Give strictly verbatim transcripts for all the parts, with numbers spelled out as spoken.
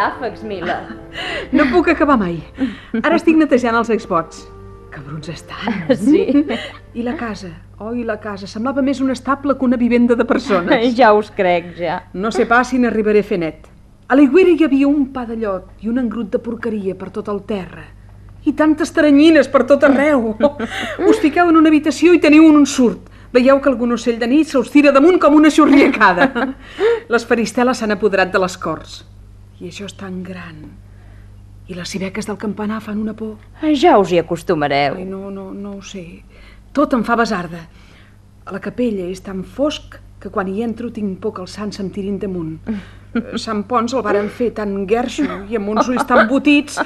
ràfecs, Mila. No puc acabar mai. Ara estic netejant els exvots. Cabrons estan. Sí. I la casa? Oh, i la casa. Semblava més un estable que una vivenda de persones. Ja us crec, ja. No sé pas si n'arribaré a fer net. A l'aigüera hi havia un pa de llot i un engrut de porqueria per tot el terra. I tantes taranyines per tot arreu. Us fiqueu en una habitació i teniu un surt. Veieu que algun ocell de nit se us tira damunt com una xurriacada. Les faristeles s'han apoderat de les corts. I això és tan gran. I les civeques del campanar fan una por. Ja us hi acostumareu. Ai, no, no, no ho sé. Tot em fa basarda. A la capella és tan fosc que quan hi entro tinc por que els sants se'm tirin damunt. Sant Pons el varen fer tan guerxo i amb uns ulls tan botits.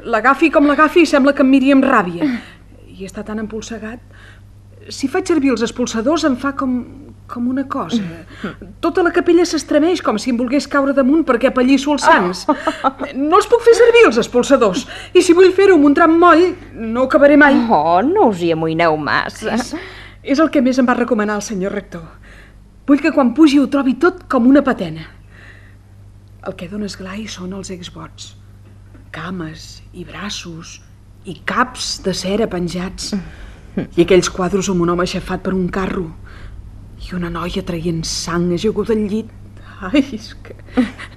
L'agafi com l'agafi i sembla que em miri amb ràbia. I està tan empolsegat. Si faig servir els expulsadors em fa com, com una cosa. Tota la capella s'estremeix com si em volgués caure damunt perquè apallisso els sants. No els puc fer servir, els expulsadors. I si vull fer-ho amb un tram moll, no ho acabaré mai. Oh, no us hi amoïneu massa. És, és el que més em va recomanar el senyor rector. Vull que quan pugi ho trobi tot com una patena. El que dona esglai són els exvots. Cames i braços i caps de cera penjats. I aquells quadros amb un home aixafat per un carro i una noia traient sang ajaguda al llit. Ai, és que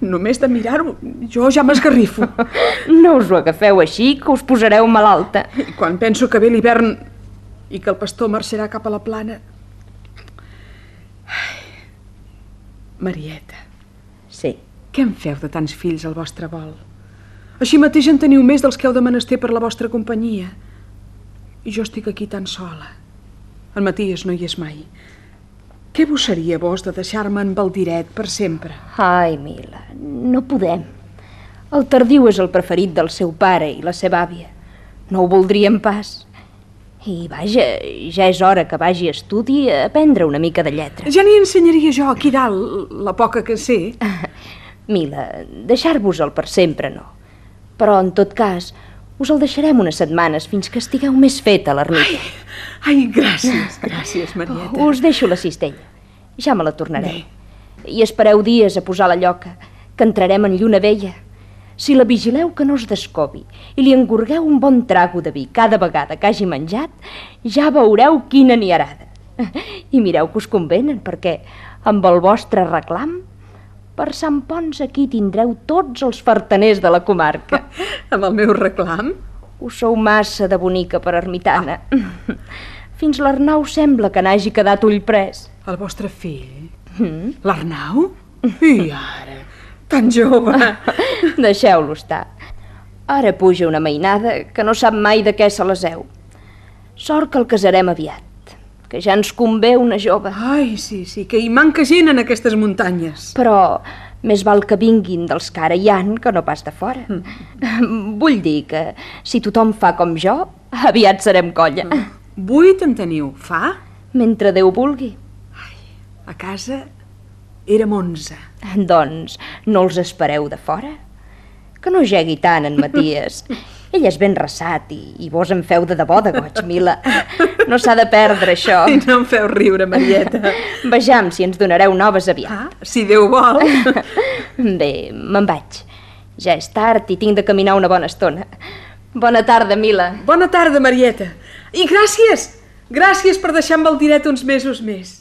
només de mirar-ho jo ja m'esgarrifo. No us ho agafeu així, que us posareu malalta. I quan penso que ve l'hivern i que el pastor marxarà cap a la plana... Ai. Marieta. Sí. Què en feu de tants fills al vostre vol? Així mateix en teniu més dels que heu de menester per la vostra companyia. I jo estic aquí tan sola. El Maties no hi és mai. Què vos seria vos de deixar-me en Valdiret per sempre? Ai, Mila, no podem. El Tardiu és el preferit del seu pare i la seva àvia. No ho voldríem pas. I vaja, ja és hora que vagi a estudi a aprendre una mica de lletra. Ja n'hi ensenyaria jo aquí dalt, la poca que sé. Mila, deixar-vos-el per sempre no. Però, en tot cas, us el deixarem unes setmanes fins que estigueu més feta l'ermita. Ai, ai, gràcies, gràcies, Marieta. Oh, us deixo la cistella. Ja me la tornareu. Bé. I espereu dies a posar la lloca, que entrarem en lluna vella. Si la vigileu que no es descobi i li engorgueu un bon trago de vi cada vegada que hagi menjat, ja veureu quina niarada. I mireu que us convenen, perquè amb el vostre reclam, per Sant Pons aquí tindreu tots els fartaners de la comarca. Amb el meu reclam? Us sou massa de bonica per ermitana. Ah. Fins l'Arnau sembla que n'hagi quedat ull pres. El vostre fill? Mm? L'Arnau? I ara, tan jove. Deixeu-lo estar. Ara puja una mainada que no sap mai de què se l'eseu. Sort que el casarem aviat, que ja ens convé una jove. Ai, sí, sí, que hi manca gent en aquestes muntanyes. Però més val que vinguin dels que ara hi han que no pas de fora. Mm. Vull dir que si tothom fa com jo, aviat serem colla. Mm. Vuit en teniu, fa? Mentre Déu vulgui. Ai, a casa érem onze. Doncs no els espereu de fora? Que no jegui tant en Maties. Ell és ben ressat i, i vos en feu de debò de goig, Mila. No s'ha de perdre, això. I no em feu riure, Marieta. Vejam si ens donareu noves aviat. Ah, si Déu vol. Bé, me'n vaig. Ja és tard i tinc de caminar una bona estona. Bona tarda, Mila. Bona tarda, Marieta. I gràcies, gràcies per deixar en Valdiret uns mesos més.